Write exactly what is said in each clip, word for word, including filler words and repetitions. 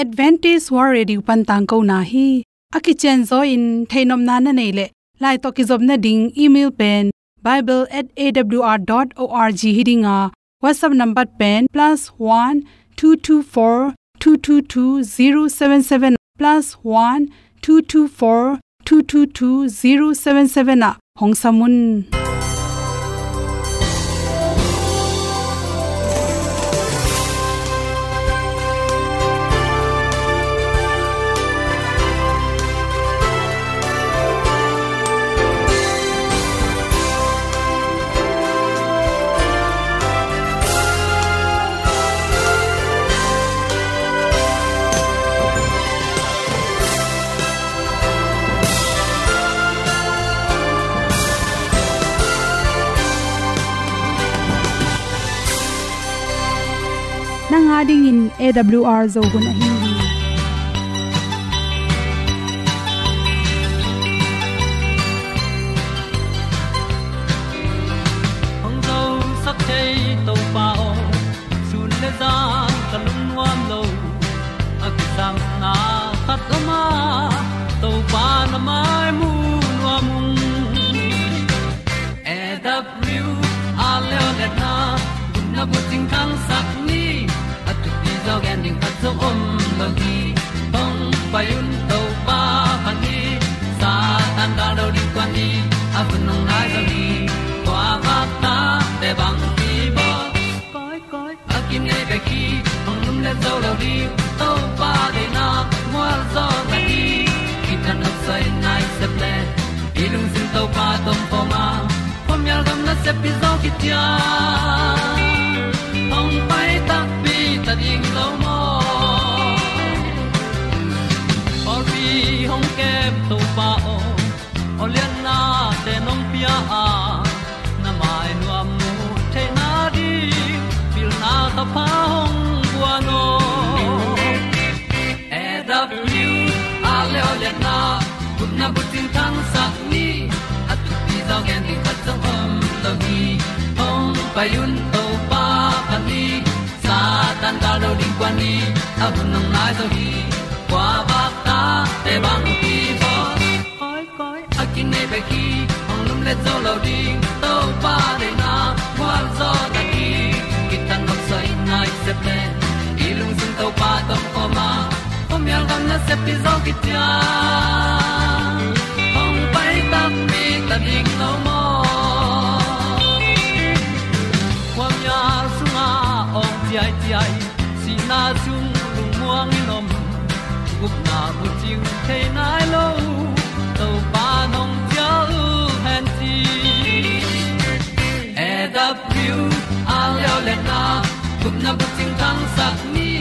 Adventist World Radio pan tangkona hi. A kicianzaw in theihnopna na neih leh, lai tawh kizopna ding email pen bible at A W R dot org hi ding a, WhatsApp number pen plus one two two four two two two zero seven seven, plus one two two four two two two zero seven seven ah hong sam un. Nang a dingin A W R Zo hun ahi hi. Hong zosak thei Topa aw, sun le zan ka lungnuam lo. A kisapna khat om a, Topa na mai mu nuam ung. A W R Leolehna, gupna bucing thangsak ni, a thupi zaw gen ding khat zong om lo hi. Hong pai un Topa phat ni, Satan gal do ding kuan ni, a hun hong nai zo hi. Kua vakta te bang hi baw. Koi, koi, a kinei bek hi, hong lumlet zo lo ding, Topa deihna mual zaw ta hi. Kithat nopsai nai sep le, i lungsim Topa tawh om khawm a, khuamial gam nasep pi zaw khit ciang, hong pai takpi ta ding lo maw. Pawlpi hong kem Topa aw, aw lianna te nong pia a, na mai nuam mu theihna ding, pilna thapha hong guan aw. A W R Leolehna, gupna bucing thangsak ni, a thupi zaw gen ding khat zong om lo hi. Hong pai un Topa phat ni, Satan gal do ding kuan ni, a hun hong nai zo hi. Kua vakta te bang hi baw. Koi, koi, a kinei bek hi, hong lumlet zo lo ding, Topa deihna mual zaw ta hi. Kithat nopsai nai sep le, i lungsim Topa tawh om khawm a, khuamial gam nasep pi zaw khit ciang, hong pai takpi ta ding lo maw. Khuamial sungah awng ciaiciai, sihna sung lungmuang in om, gupna bucing thei nai lo, Topa nong cial hen ci. A W R Leolehna, gupna bucing thangsak ni,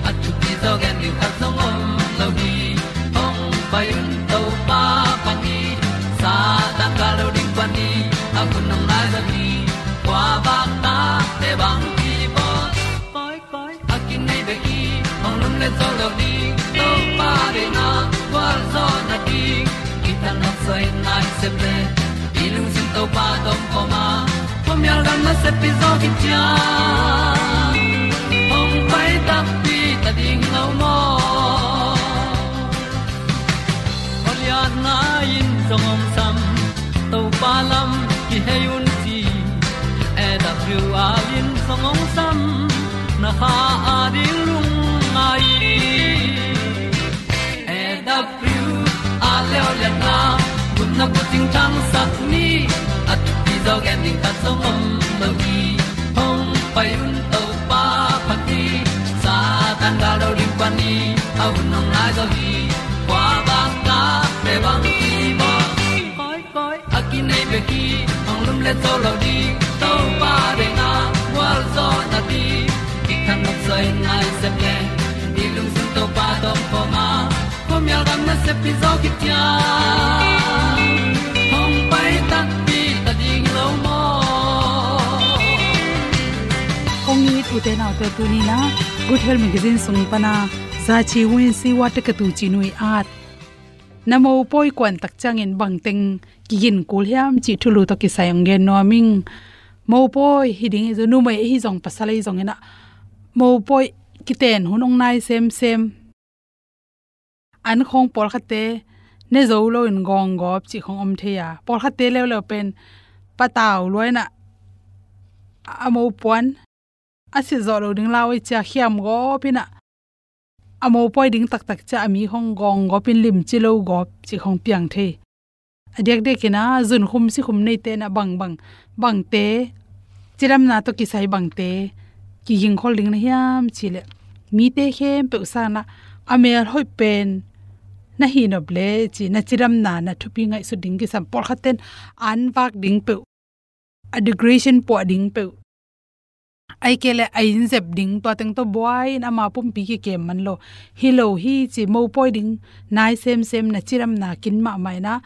a thupi zaw gen ding khat zong om lo hi. Hong pai un Topa phat ni, Satan gal do ding kuan ni, a hun hong nai zo hi. Kua vakta te bang hi baw. Koi, koi, a kinei bek hi, hong lumlet zo lo ding, Topa deihna gualzawhna ding. Kithat nopsai nai sep le, i lungsim Topa tawh om khawm a, khuamial gam nasep pi zaw khit ciang, hong pai takpi ta ding lo maw. Aw lianna in zong hong sam, Topa lam kihei un ci. A W R in zong hong sam, na kha a ding lungngai. A W R Leolehna, gupna bucing thangsak ni, a thupi zaw gen ding khat zong om lo hi. Hong pai un Topa phat ni, Satan gal do ding kuan ni, a hun hong nai zo hi. Kua vakta te bang hi baw. Koi, koi, a kinei bek hi, hong lumlet zo lo ding, Topa deihna gualzawhna ding. Kithat nopsai nai sep le, i lungsim Topa tawh om khawm a, khuamial gam nasep pi zaw khit ciang, hong pai takpi ta ding lo maw. Kong it ute naute, tuni-in ah Good Health Magazine sung pan a Za Chi Win Si Wa Te Ka Tu Ci Nui At, na mopawi kuan tak ciangin bangteng kigin kul hiam cih thulu tawh kisai hong gen nuam ing. Mopawi hi ding hi zaw, numei ahi zong pasal ahi zongin ah mopawi kiten hun hong nai semsem. an khawng pawlkhatte ne zo loin gawnggawp cih khawng om thei a, pawlkhatte leuleu pen patau luainah a mopuan a silh zawh lo ding lau ei cia khiam gawp inah a mopawi ding taktak cia a mi khawng gawnggawp in limci lo gawp cih khawng piang thei. A diakdiakin a zunkhum sikhum neite na bangbang, bangte, cidamna tawh kisai bangte kigingkhol ding na hiam cih leh, mite khempeuh sanah a mel hoih pen na hihnop le cih na cidamna na thupi ngaihsut ding kisam. Pawlkhatten an vak ding peuh, a decoration puah ding peuh, ahih kei leh a inn zep ding, tua teng tawh buai in ama pumpi kikem man lo. Hi lo hi ci, mopawi ding nai semsem na cidamna kin mahmah inah,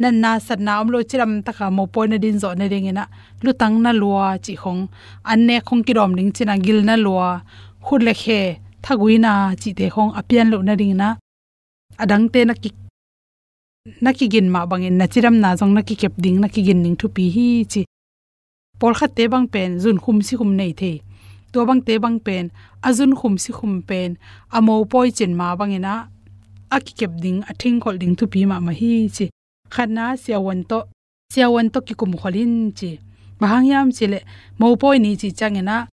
natna satna om lo cidam taka mopawi na din zawh nadinginah lutang na lua cih khawng, an nek khawng kidawm ding cinah gil na lua, khut le khe thaguina cihte khawng a pian loh nadinginah, a dangte na ki, na kigin mah bangin na cidamna zong na kikep ding, na kigin ding thupi hi ci. Pawlkhatte bang pen zunkhum sikhum nei thei. Tua bangte bang pen a zunkhum sikhum pen a mopawi cin ma banginah a kikep ding, a thingkholh ding thupi mahmah hi ci. Khatna, siavuan tawh, siavuan tawh kikumkhol in ci. Bang hang hiam cih leh, mopawi ni cih cianginah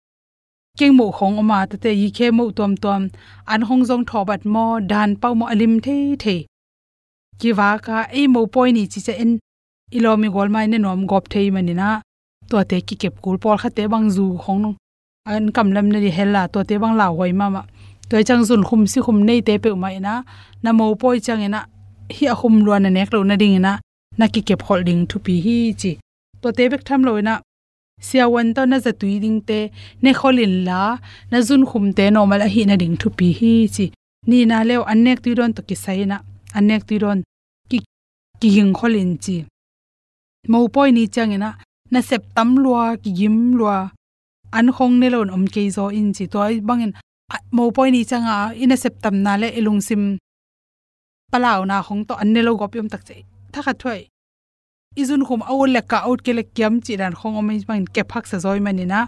keng moh khawng om a, tate, yikhe moh tuamtuam, an khawng zong thawbat maw, dan pau maw, a lim theithei. Kivak a, ei mopawi ni cih ciang en i lawm i gual mai ne nuam gawp thei maninah, tuate kikep kul. Pawlkhatte bang zu khawng nung, an kamlam na di hel a, tuate bang lauhuai mahmah. Tua ciang zunkhum sikhum neite peuhmah inah na mopawi cianginah hih a khum lua na nek loh nadinginah na kikep kholh ding thupi hi ci. Tuate bek tham loinah siavuan tawh na zatui dingte nekhol inla, na zunkhumte normal ahih nading thupi hi ci. Nihna leu an nek tui dawn tawh kisai inah an nek tui dawn ki, kigingkhol in ci. Mopawi ni cianginah nasep tam lua, kigim lua, an khawng ne loin om kei zaw in ci. Tua bangin a, mopawi ni cianga i nasep tamna le i lungsim palauna khawng tawh an ne lo gawp i om tak ci. Thakhat thuai i zunkhum a ut le kah, a ut kei le kiam cih dan khawng om i bangin kep haksa zaw i maninah,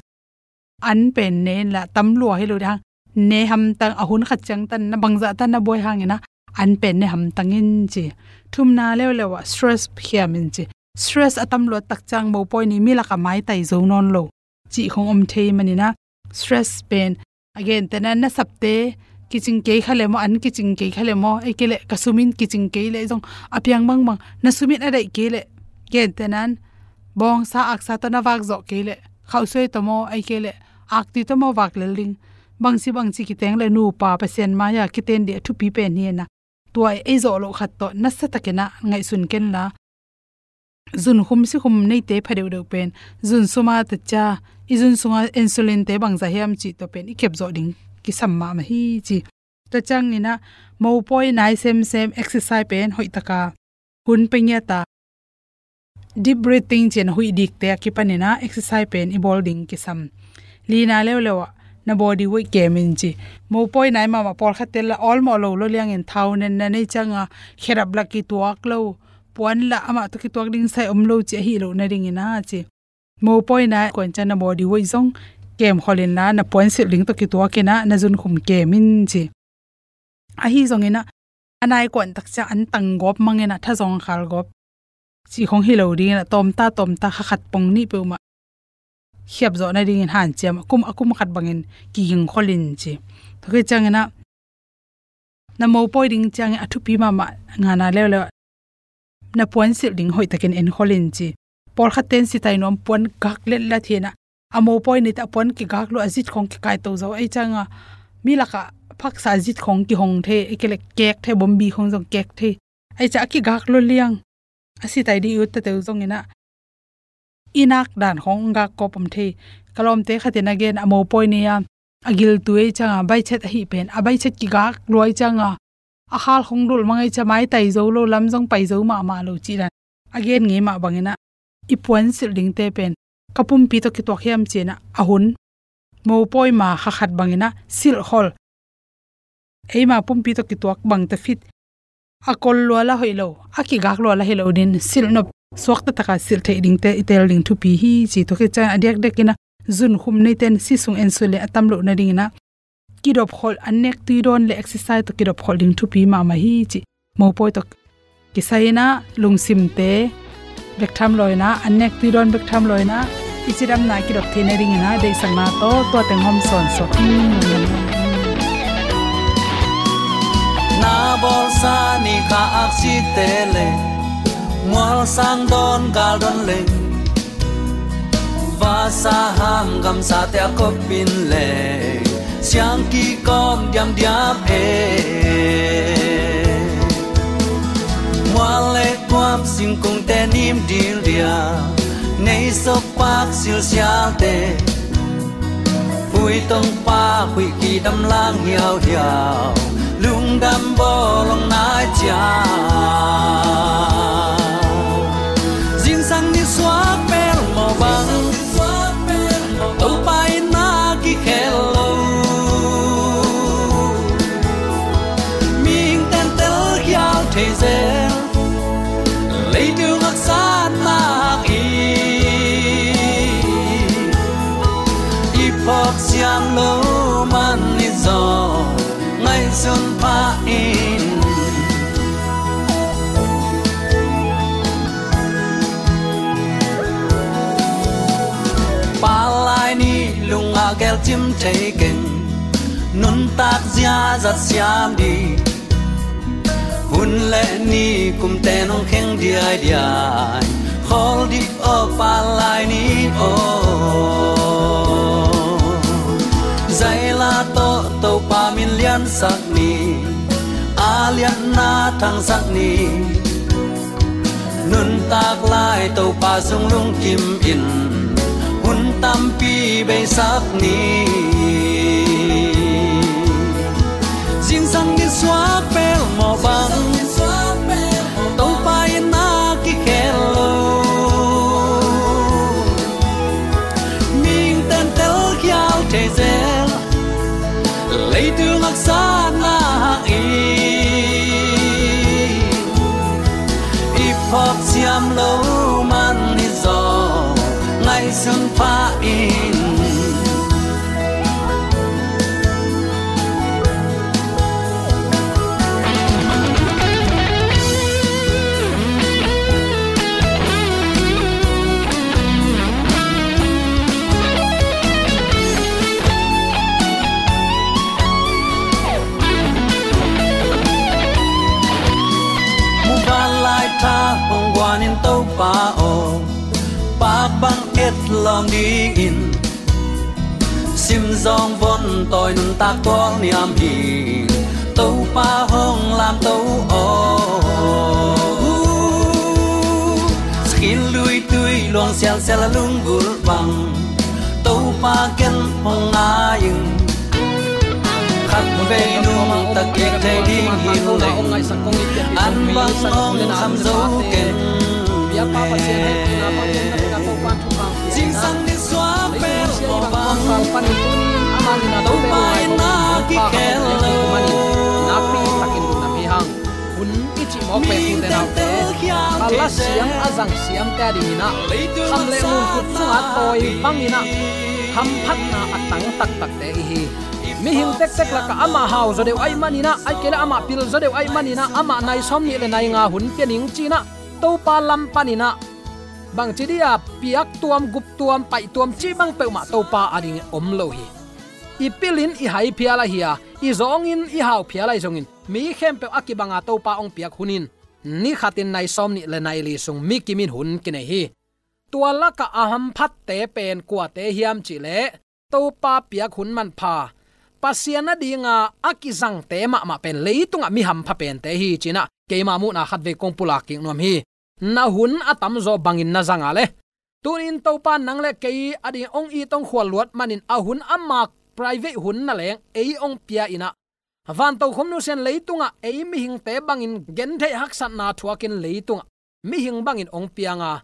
an pen ne inla, tam lua hi lo ding hang, ne hamtang, a hun khat ciangtan na bangzah tan na buai hanginah an pen ne hamtang in ci. Thumna leuleu ah stress khiam in ci. Stress a tam luat tak ciang mopawi ni mi lakah maitai zo nawn lo cih khawng om thei maninah, stress pen a gentehna, na sapte kicing kei kha le maw, an kicing kei kha le maw, ahih kei leh ka sumin kicing kei leh zong a piang bangbang, na sumin a daih kei leh, gentehna, bawngsa aksa tawh na vak zawh kei leh, khauhsuai tawh maw, ahih kei leh aktui tawh maw vak lel ding. Bangci bangci kiteng le nupa Pasian mai-a kiten dih a thupi pen hi inah, tua ei zawh loh khat tawh nasatakinah ngaihsun kenla, zunkhum sikhum neite pha deuhdeuh pen zun suma tacia, i zun sunga insulin-te bangzah hiam cih tua pen i kep zawh ding kisam mahmah hi ci. Tua cianginah mopawi nai semsem, exercise pen hoihtaka hun pia ngiat a, deep breathing ci-in a huih dikte a kipaninah exercise pen i bawl ding kisam. Lina leuleu ah na body weight kem in ci. Mopawi nai mahmah, pawlkhatte la awlmawh lo lua liangin thau nenna nei cianga khedap la kituak lo, puan la amah tawh kituak ding sai om lo ci ahi loh nadinginah ci. Mopawi nai kuan ciang na body weight zong kemkhol inla, na puan silh ding tawh kituakinah na zunkhum kem in ci. Ahi zonginah a nai kuan tak ciang an tang gawp manginah tha zong khal gawp cih khawng hi lo dinginah tawmta tawmta kha khat pong nih peuhmah khiap zawh nadingin hanciam a kum, a kum khat bangin kigingkhol in ci. Tua khit cianginah na mopawi ding ciangin a thupi mahmah ngana leuleu na puan silh ding hoihtakin enkhol in ci. Pawlkhatte in sitai nuam puan gak letlet hinah, a mopawi nite a puan kigak lua, a zit khawng kikaito zo, ei cianga mi lakah phaksa a zit khawng kihong thei, ei kei leh kek thei, bombi khawng zong kek thei. Ei ciah a kigak lua liang a sitai dih i ut tateu zonginah i nak dan khawng gak kawp om thei. Ka lawmte khatin a gen, a mopawi ni-a a giltu ei cianga baichet ahi pen, a baichet kigak lua ei cianga a khal khawng dulh mang ei cia, maitai zo lo, lam zong pai zo mahmah lo cih dan a gen ngei mah banginah i puan silh dingte pen ka pumpi tawh kituak hiam cinah a hun mopawi ma kha khat banginah silhkhol. Eima pumpi tawh kituak bang ta fit, a kol lua la hoih lo, a kigak lua la hi lo din, silh nop suakta taka silh theih dingte i tel ding thupi hi ci. Tua khit ciang a diakdiakinah zunkhum neite in si sung en sule a tam loh nadinginah kidop kholh, an nek tui dawn le exercise tawh kidop kholh ding thupi mahmah hi cih mopawi tawh kisai in ah lungsimte bek tham lo in ah, an nek tui dawn bek tham lo in ah, i cidamna kidop theihna dingin ah deihsakna tawh tua teng hawm sawn sawk. Na bawlsa ni kha aksite le mualsang dawn gal dawn le vasa ham gamsate a kop in le siang kikawm diamdiam e. Mual le kuam singkungte nim dildia, nei sok pak silsialte, hui tong pak huih kidam lang hiauhiau, lungdam bawlong nai cia. Zingsang ni suak pel mawh bang, Topa in na kikhel lo. Mihing tentel khial thei zel, leitung haksa nak hi. I phawk siam lo man i zaw ngaihsun pha in. Palai ni lungah gelcim thei keng, nuntak ziazat siam dih. Hun le ni kumte nong kheng diaidiai, khawl dih aw palai ni aw. Zaila tawh Topa min liansak ni, a lianna thangsak ni. Nuntak lai Topa sung lungkim in, hun tampi beisak ni. Zingsang ni suak pel mawh bang, Topa in na kikhel lo. Mihing tentel khial thei zel, leitung haksa nak hi. I phawk siam lo man i zaw ngaihsun pha in. Muvanlai tha hong guan in Topa aw, pak bang et lawm dingin, sim zawng von tawi nuntak tual niam hi. Topa hong lamto aw, sakhin luitui luang sialsial a lunggulh bang, Topa ken hong ngai in. Khatvei nungta kik thei ding hi leng, an bang hong kham zo ken. Zingsang ni suak pel mawh bang, Topa in na kikhel lo. Hun i cih mawk pen tute naute, a la siam a zang siamte a dingin ah, kham le ngun kut sungah tawi bangin ah, hamphatna a tang taktakte i hi. Mihing tektek lakah amah hau zaw deuh ahih manin ah, ahih kei leh amah pil zaw deuh ahih manin ah, amah nai sawmnih le nai nga hun pia ning ci-in ah, Topa lam panin ah, bangci dih a piak tuam, gup tuam, paih tuam cih bang peuhmah Topa a dingin om lo hi. I pilin i hai phial ahi a, i zawngin i hau phial ahi zongin, mi khempeuh a kibanga Topa hong piak hun in, ni khatin nai sawmnih le nai li sung mi kimin hun kinei hi. Tua lakah a hamphatte pen kuate hiam cih leh, Topa piak hun manpha, Pasian a dinga a kizangte mahmah pen leitungah mi hampha pente hi ci-in ah, keima muhna khatvei kong pulak kik nuam hi. Na hun a tamzaw bangin na zang a leh, tuni-in Topa nang le kei a ding hong it hong khual luat manin a hun ama private hun na leng ei hong pia in ah, vantokhom nusia in leitungah ei mihingte bangin gentheih haksatna thuakin leitungah mihing bangin hong piang a,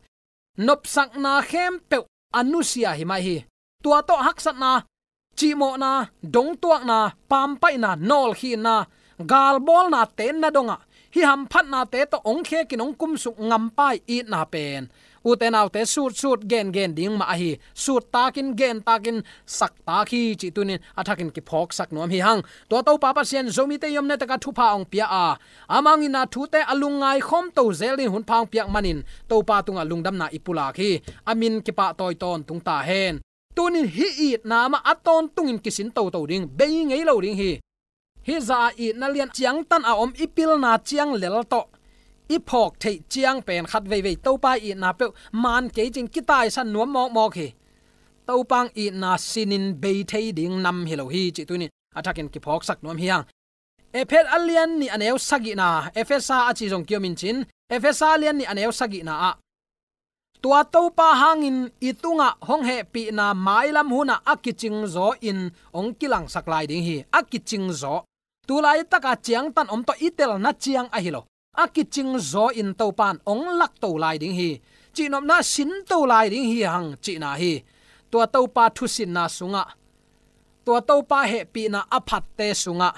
nopsakna khempeuh a nusia hi mai hi. Tua tawh haksatna, cihmawhna, dongtuakna, pampaihna, nawlkhinna, galbawlnate na dongah, hih hamphatnate tawh hong khekin hong kumsuk ngampa i itna pen Ute naute, sutsut gengen ding mah ahi. Suttakin, gentakin, saktak hi cih tunin a thakin kiphawksak nuam hi hang. Tua Topa Pasian Zomite i omna takah thupha hong pia a, ama hong itna thute a lungngai khawm to zel dingin hunpha hong piak manin Topa tungah lungdamna i pulak hi. A min kipahtawi tawntung ta hen. Tunin hih itna mah a tawntungin kisin toto ding, bei ngei lo ding hi. Hih zah a itna lian ciangtan a om i pilna ciang lel tawh i phawk theih ciang pen khat veivei Topa itna peuh man kei cin kitaisan nuam mawkmawk hi. Topa hong itna sinin bei thei ding nam hi lo hi cih tunin a thakin kiphawksak nuam hi hang. Efesa a lian nih a neu sagihna, Efesa a ci zong kiomin cin, Efesa a lian nih a neu sagihna ah, tua Topa hangin i tungah hong hehpihna mailam hunah a kicingzaw in hong kilangsak lai ding hi. A kicingzaw. Tulaitak a ciangtan om tawh i telna ciang ahi lo. A kicingzaw in Topa in hong lakto lai ding hi. Cihnopna sinto lai ding hi hang cihna hi. Tua Topa thusinna sungah, tua Topa hehpihna a phatte sungah,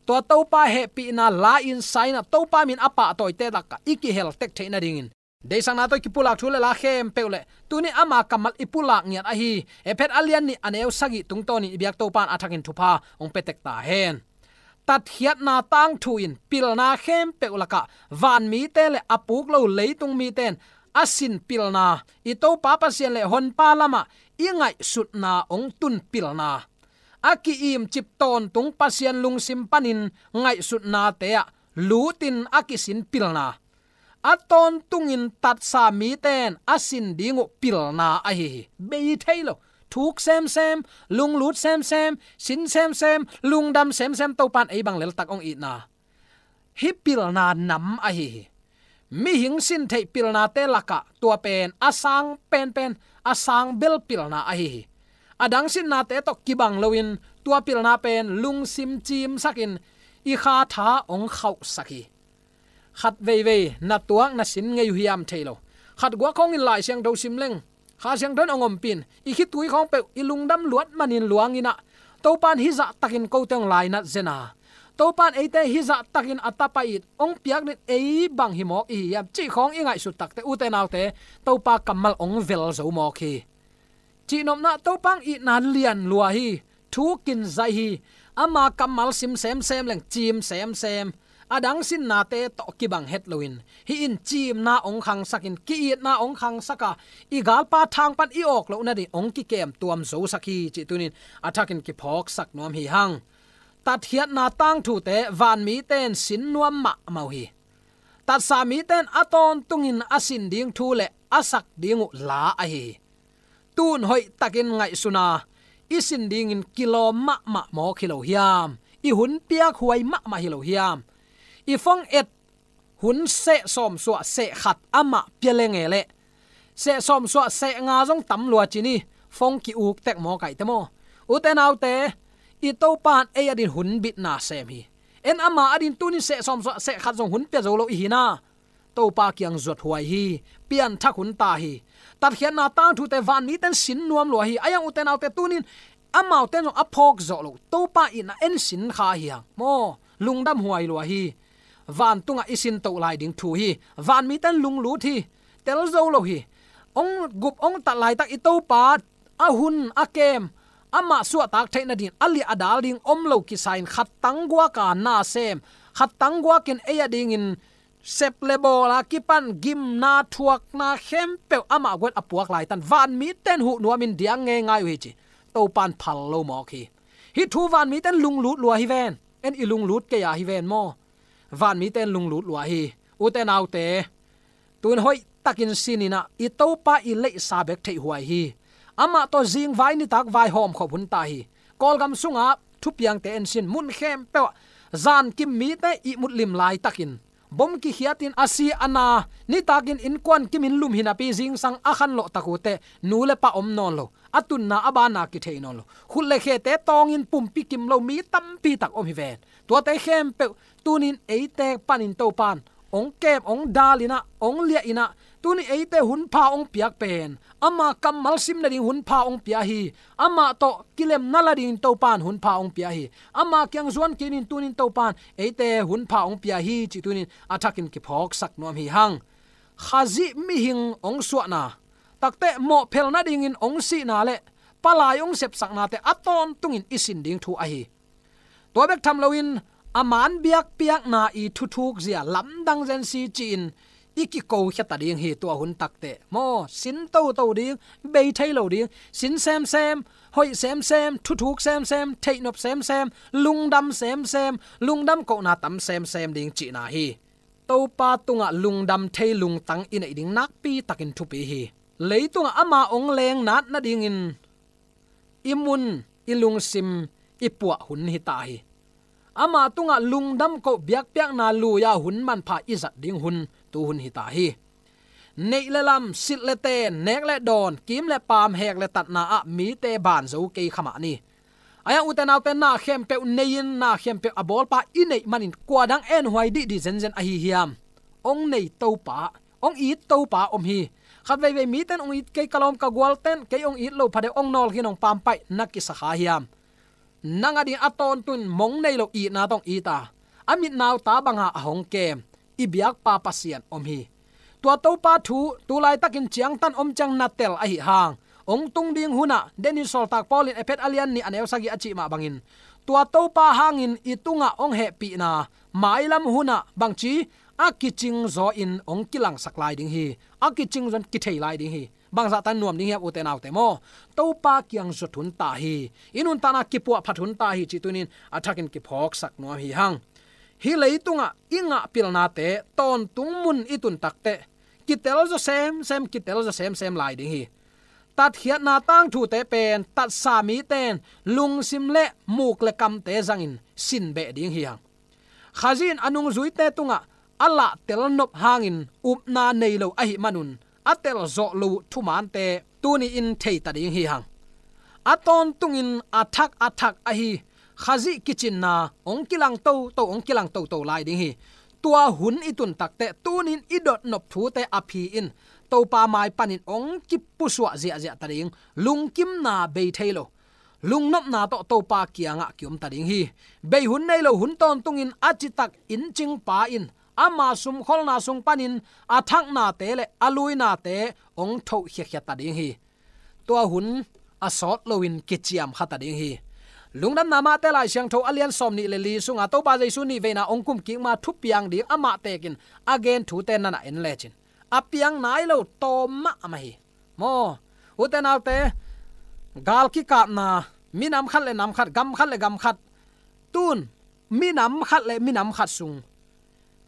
tua Topa hehpihna la-in sainah Topa min a pahtawite lakah i kihel tek theih nadingin deihsakna tawh i kipulak thu le la khempeuh le tuni ama kammal i pulak ngiat ahi Efesa a lian nih a neu sagih tungtawnin i biak Topa in a thakin thupha hong pia tek ta hen. Tatkhiatna tangthu in pilna khempeuh lakah vanmite le a puk lo leitung mite in a sin pilna, i Topa Pasian le Honpa lamah i ngaihsutna hong tun pilna, a ki-imcip tawntung Pasian lungsim panin ngaihsutnate ah lutin a kisin pilna, a tawntungin tatsa mite in a sin ding uh pilna ahi hi. Bei thei lo, thuk semsem, lunglut semsem, sin semsem, lungdam semsem Topa in ei bang leltak hong itna, hih pilna nam ahi hi. Mihing sin theih pilnate lakah tua pen a sang penpen, a sang bel pilna ahi hi. A dang sinnate tawh kibang loin tua pilna pen lungsim cimsakin i kha tha hong khauhsak hi. Khat veivei na tuak na sin ngei uh hiam thei lo. Khat guak khawngin Lai Siangtho sim leng, Kha Siangtho in hong ompih in, i khitui khawng peuh i lungdam luat manin luangin ah, Topa in hih zahtakin kote hong lainat zen a, Topa in eite hih zahtakin a tapa it hong piak dingin ei bang hi mawk i hi hiam cih khawng i ngaihsut takte, ute naute, Topa kammal hong vel zo mawk hi. Cihnopna, Topa hong itna lian lua hi. Thukin zaih hi. Ama kammal sim semsem leng cim semsem. A dang sinnate tawh kibang het loin, hih in cimna hong khangsakin, ki-itna hong khangsak a, i galpa thang pan i awk loh nading hong kikem tuam zosak hi cih tunin a thakin kiphawksak nuam hi hang. Tatkhiatna tangthute vanmite in sin nuam mahmah uh hi. Tatsa mite in a tawntungin a sin ding thu le a sak ding uh la ahi hi. Tun hoihtakin ngaihsun a, i sin dingin kilawm mahmah mawk hi lo hiam? I hun piak huai mahmah hi lo hiam? I phone et hun seh sawmsuah seh khat amah pia lenge leh, seh sawmsuah seh nga zong tam lua ci ni, phone ki-uk tek mawk aihte maw? Ute naute, i Topa in ei adin hun bitna sem hi. En ama adin tunin seh sawmsuah seh khat zong hun pia zo lo i hi na, Topa kiang zuat huai hi. Pianthak hun ta hi. Tatkhiatna tangthute vanmite in sin nuam lua hi. A yang, ute naute, tunin amaute in zong a phawk zawh lo, Topa itna en sin kha hi hang maw? Lungdam huai lua hi. Vantungah i sin toh lai ding thu hi. Vanmite in lunglut hi. Tel zo lo hi. Hong gup hong tat laitak i Topa a hun a kem, amah suahtak theih nadingin a liah a dal ding om lo kisa-in khattang guak a na sem, khattang guakin ei adingin sep le bawl a kipan gimna thuakna khempeuh amah guan a puak laitan vanmite in huh nuamin diang ngeingai uh hi ci. Topa in phal lo mawk hi. Hih thu vanmite in lunglut lua hi ven. En i lunglut kei a hi ven maw? Vanmite in lunglut lua hi. Ute naute, tun hoihtakin sin in ah i Topa i leihsa bek theih huai hi. Amah tawh zingvai nitak vaihawm khop hun ta hi. Kawlgam sungah thupiangte en sin, mun khempeuh ah zankim mite ihmut lim laitakin, bom kikhiatin a si a na, nitakin innkuan kimin lum hi napi zingsang a khanlawh tak uh teh nu le pa om nawn lo, a tunna a banna kithei nawn lo, khut le khete tawngin pumpi kim lo mi tampi tak om hi ven. Tuate khempeuh tunin eite panin Topa in hong kem, hong dal in ah, hong liah in ah, tunin eite hunpha hong piak pen, ama kammal sim nading hunpha hong pia hi. Amah tawh kilemna la dingin Topa in hunpha hong pia hi. Ama kiang zuan kinin tunin Topa in eite hunpha hong pia hi cih tunin a thakin kiphawksak nuam hi hang. Khazih mihing hong suahna, takte mawhphel nadingin hong sihna le palai hong sepsaknate a tawntungin i sin ding thu ahi. Tua bek tham loin a man biakpiakna i thuthuk zia lamdang zensi ci-in i kiko khia ta ding hi. Tua hun takte maw, sin toto ding, bei thei lo ding, sin semsem, hoih semsem, thuthuk semsem, theihnop semsem, lungdam semsem, lungdam kohna tam semsem ding cihna hi. Topa tungah lungdam thei lungtang i neih ding nakpi takin thupi hi. Leitungah ama hong leng nat nadingin i mun, i lungsim i puah hun hi ta hi. Ama tungah lungdam koh biakpiakna lui-a hun manpha i zat ding hun, tu hun hi ta hi. Neih le lam, silh le ten, nek le dawn, kim le paam, hek le tatna ah mite ban zo kei kha mah ni. Ahi hang ute naute, na khempeuh nei-in, na khempeuh a bawlpa i neih manin kua dang enhuai dihdih zenzen ahi hiam? Hong nei Topa, hong it Topa om hi. Khat veivei mite in hong it kei, ka lawm ka gualte in kei hong it lo, phadeuh hong nawl khin, hong pampaih na kisa kha hiam? Nang ading a tawntungin mong nei lo itna tawh hong it a, a mit nauta banga a hong kem i biakpa Pasian om hi. Tua Topa thu tu laitakin ciangtan om ciang na tel ahih hang, hong tung ding hunah, Dennis sawltak Paul in Efesa a lian nih a neu sagih a cih mah bangin, tua Topa hangin i tungah hong hehpihna mailam hunah bangci a kicing zaw in hong kilangsak lai ding hi. A kicing zaw in kithei lai ding hi. Bangzah tan nuam ding hiam ute naute maw? Topa kiang zot hun ta hi. I nuntakna kipuahphat hun ta hi cih tunin a thakin kiphawksak nuam hi hang. Hih leitungah i ngah pilnate tawntung mun i tun takteh kitel zaw semsem, kitel zaw semsem lai ding hi. Tatkhiatna tangthute pen tatsa mite in lungsim le muk le kamte zangin sin beh ding hi hang. Khazih in a nungzuite tungah a lahtel nop hangin upna nei lo ahih manun a telzawh lo uh thumaante tuni in thei ta ding hi hang. A tawntungin a thak a thak ahi Khazih kicinna hong kilang toto, hong kilang toto lai ding hi. Tua hun i tun takteh tunin i dotnop thute a phi in Topa mai panin hong kipusuah ziahziah ta ding. Lungkimna bei thei lo, lungnopna tawh Topa kiangah kiom ta ding hi. Bei hun nei lo hun tawntungin a citak inncingpa in ama sumkholna sung panin a thaknate le a luinate hong thoh khiakhia ta ding hi. Tua hun a sawt loin kiciam kha ta ding hi. Lungdamna Mate Lai Siangtho a lian sawm nih le li sunga Topa Jesu nih veina hong kumkik ma thupiang ding amah tekin a gen thute nana en lecin, a piang nai lo tawm mahmah hi. Maw, ute naute, gal kikapna, minam khat le nam khat, gam khat le gam khat, tun minam khat le minam khat sung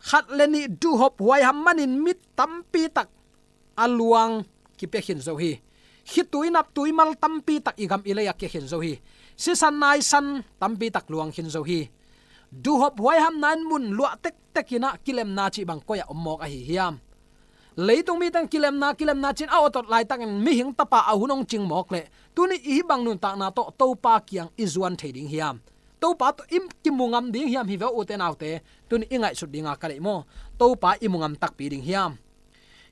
khat le nih duhhop huaiham manin mi tampi tak a luang kipia khin zo hi. Khitui naptui mal tampi tak i gam i lei-ah kia khin zo hi. Sisan naisan tampi tak luang khin zo hi. Duhhop huaihamna in mun luah tektek in ah kilemna cih bang koi-ah om mawk ahi hiam? Leitung mite in kilemna, kilemna ci-in a awtot laitakin mihing tapa a hun hong cing mawk leh tuni i hih bang nuntakna tawh Topa kiang i zuan thei ding hiam? Topa tawh i kimu ngam ding hiam? Hi ve aw ute naute, tuni i ngaihsut dinga ka deih maw? Topa i mu ngam takpi ding hiam?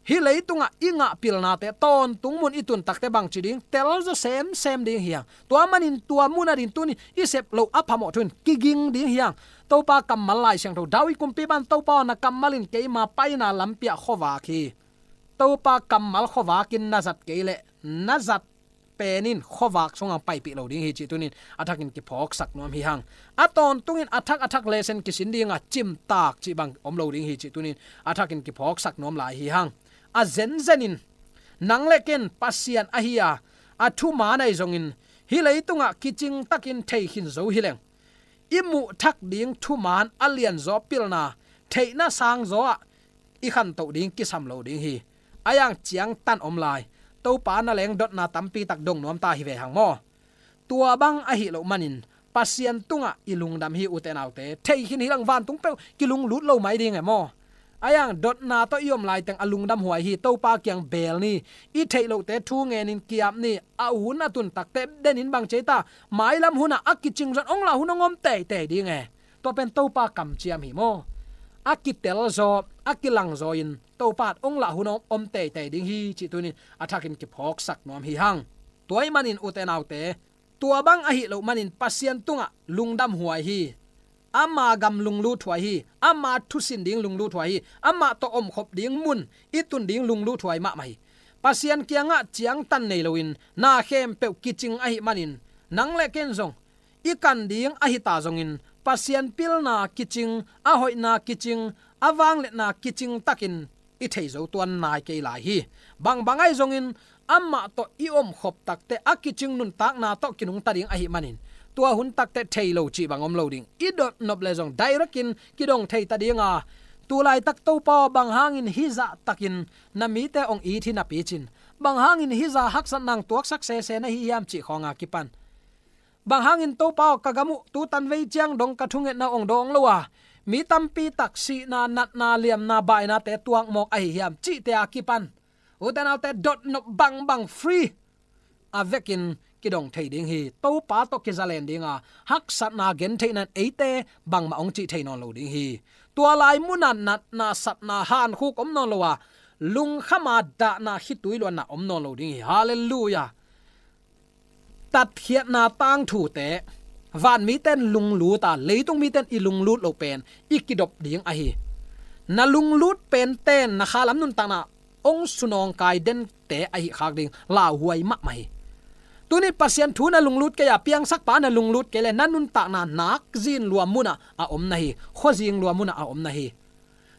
Hih leitungah i ngah pilnate tawntung mun i tun takteh bangci ding, tel zaw semsem ding hiam? Tua manin tua mun ading tuni i sep loh a phamawh thu in kiging ding hiam? Topa kammal Lai Siangtho, David kumpipa in, Topa aw, na kammal in keima paina lampi-ah khuavak hi. Topa kammal khuavakin na zat kei leh na zat pen in khuavak sungah paipih lo ding hi cih tunin a thakin kiphawksak nuam hi hang. A tawntungin a thak a thak lesen kisin dinga cimtak cih bang om lo ding hi cih tunin a thakin kiphawksak nuam lai hi hang. A zenzenin nang le ken Pasian ahi a, a thuman ahi zongin hih leitungah kicingtakin thei khin zo hi leng, i muhthak ding thuman a lianzaw pilna theihna sangzaw ah i khantoh ding kisam lo ding hi. A yang ciangtan om lai, Topa na leng dotna tampi tak dong nuam ta hi ve hang maw? Tua bang ahi loh manin Pasian tungah i lungdam hi ute naute. Thei khin hi lang, vantung peuh kilunglut lo mai ding e maw? A yang dotna tawh i om laiteng a lungdam huai hi. Topa kiang beel ni. I theih lohte thu ngenin ki-ap ni. A hun a tun takteh denin bang ci ei ta, mailam hunah a kicing zong hong lah hun hong om teitei ding e. Tua pen Topa kamciam hi maw? A kitel zaw, a kilang zaw in Topa hong lah hun hong om teitei ding hi cih tunin a thakin kiphawksak nuam hi hang. Tua ahih manin ute naute, tua bang ahi loh manin Pasian tungah lungdam huai hi. ama gam lungluthuai hi, ama thusin ding lungluthuai hi, amah tawh omkhop ding mun i tun ding lungluthuai mahmah hi. Pasian kiangah ciangtan nei loin na khempeuh kicing ahih manin, nang le ken zong i kan ding ahi ta zongin, Pasian pilna kicing, a hoihna kicing, a vangliatna kicing takin i thei zo tuan nai kei lai hi. Bangbang ahi zongin amah tawh i omkhop takteh a kicing nuntakna tawh kinungta ding ahih manin, tua hun takteh thei lo cih bang om lo ding. I dotnop le zong direct in kidong thei ta dinga, tu laitak Topa aw, bang hangin hih zah takin na mite hong it hi napi cin, bang hangin hih zah haksatna hong tuaksak sese na hi hiam cih khawnga kipan, bang hangin Topa aw, ka gam uh tu tanvei ciang dong ka thungetna hong dawng lo a, mi tampi tak sihna, natna, liamna, bainate tuak mawk ahi hiam cihte a kipan, ute naute, dotnop bangbang free a vekin kidong thei ding hi. Topa tawh kizalen dinga, haksatna gentheihna in eite bangmah hong cih thei nawn lo ding hi. Tua lai munah natna, satna, hankhuk om nawn lo a, lungkhama dahna, khitui luanna om nawn lo ding hi. Halleluiah. Tatkhiatna tangthute, van mite in lunglut a, leitung mite in i lunglut loh pen i kidop ding ahi. Na lunglut pente in na khalam nuntakna hong sunawngkai dente ahi khak ding lauhuai mahmah hi. Tuni Pasian thu na lunglut kei a, piangsakpa na lunglut kei le, na nuntakna nakzin lua munah a om na hi, khuazing lua munah a om na hi.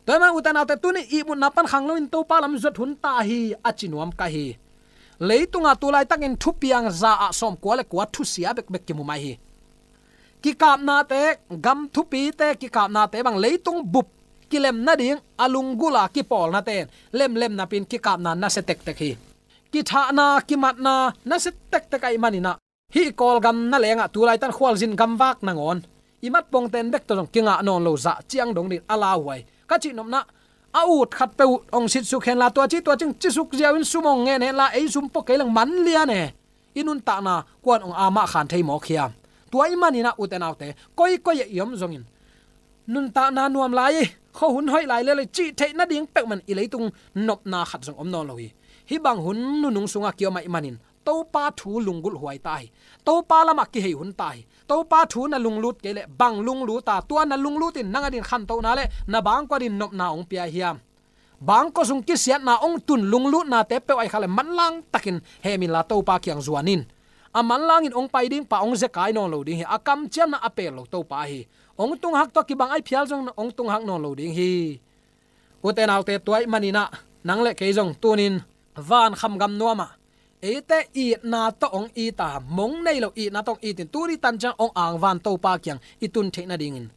Tua ahih manin ute naute, tuni ihmutna pan khang loin Topa lam zuat hun ta hi, a ci nuam ka hi. Leitunga tu laitakin thupiang za ah sawmkua le kua thusia bekbek kimu mai hi. Kikapnate, gam thupite kikapnate bang leitung bup kilem nading a lunggulh a kipawlnate in lemlem napi-in kikapna nasia tektek hi. Kithahna, kimatna nasia tektek ahih manin ah, hih Kawlgam na lengah tu laitan khualzin gamvak nangawn i matpongte in bek tawh zong kingah nawn lo zah ciang dong dingin a lauhuai. Ka cihnopna, a ut khat peuh uh hong sitsuk henla, tua ci tua cing cisuk ziau in sum hong ngen henla, ei sum pua kei leng man lian e. I nuntakna kuan hong amah khan thei mawk hiam? Tua ahih manin ah, ute naute, koikoi ah i om zongin, nuntakna nuam lai, khuahun hoih lai lel hi cih theih nading peuhmah in i leitung nopna khat zong om nawn lo hi. Hih bang hun nunung sungah kiom ahih manin, Topa thu lunggulh huai ta hi. Topa lamah kihei hun ta hi. Topa thu na lunglut kei leh bang lunglut a, tua na lunglut in nang adingin khantohna le na bangkua adingin nopna hong pia hiam? Bangkua sung kisiatna hong tun lunglutnate peuh ahih kha le manlang takin hem inla Topa kiang zuan in. A manlangin hong pai ding pa hong zekai nawn lo ding hi. A kamciamna a pel lo Topa hi. Hong tunghak tawh kibang ahih phial zong hong tunghak nawn lo ding hi. Ute naute, tua ahih manin ah, nang le kei zong tunin van khamgam nuamah eite itna tawh hong it a, mong nei lo itna tawh hong it in, tuni tan ciang hong angvan Topa kiang i tun theih nadingin,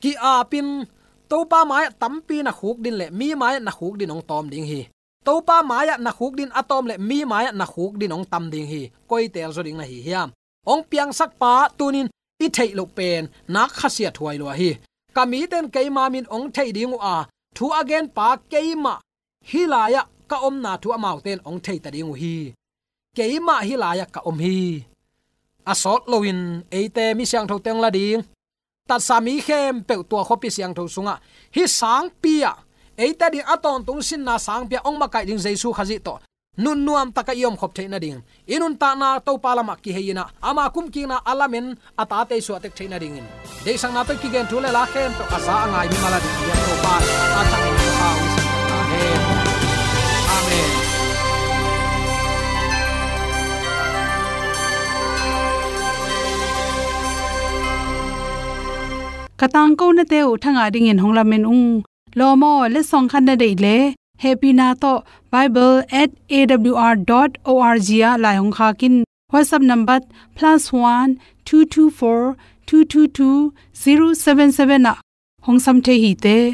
ki-apin Topa mai-ah tampi na khukdin le mi mai-ah na khukdin hong tawm ding hi. Topa mai-ah na khukdin a tawm le mi mai-ah na khukdin hong tam ding hi. Koi teel zaw ding na hi hiam? Hong piangsakpa tunin i theih loh pen nak khasiathuai lua hi. Ka mite in keima min hong thei ding uh a, thu a genpa keimah hih lai-ah ka omna thu amaute in hong theita ding uh hi. Keimah hih lai-ah ka om hi. A sawt loin eite mi siangthote hong la ding, tatsa mi khempeuh tua khuapi siangtho sungah hih sangpi-ah eite ading a tawntung sinna sangpi-ah hong makaih ding Jesu Khazih tawh nunnuam takah i omkhop theih nading, i nuntakna Topa lamah kihei in ah, ama kumkikna a lamen a tate i suahtek theih nadingin, deihsakna tawh kigen thu le la khempeuh a za a ngai mimal ading i biak Topa a thak in Topa hong sak ta hen. Amen. Ka tangkonate uh thangah dingin hong lamen ung. Lawm aw, letsong khat na deih leh, hehpihna tawh bible at A W R dot O R G ah lai hong khak in. WhatsApp number plus one two two four two two two zero seven seven ah hong sam thei hi te.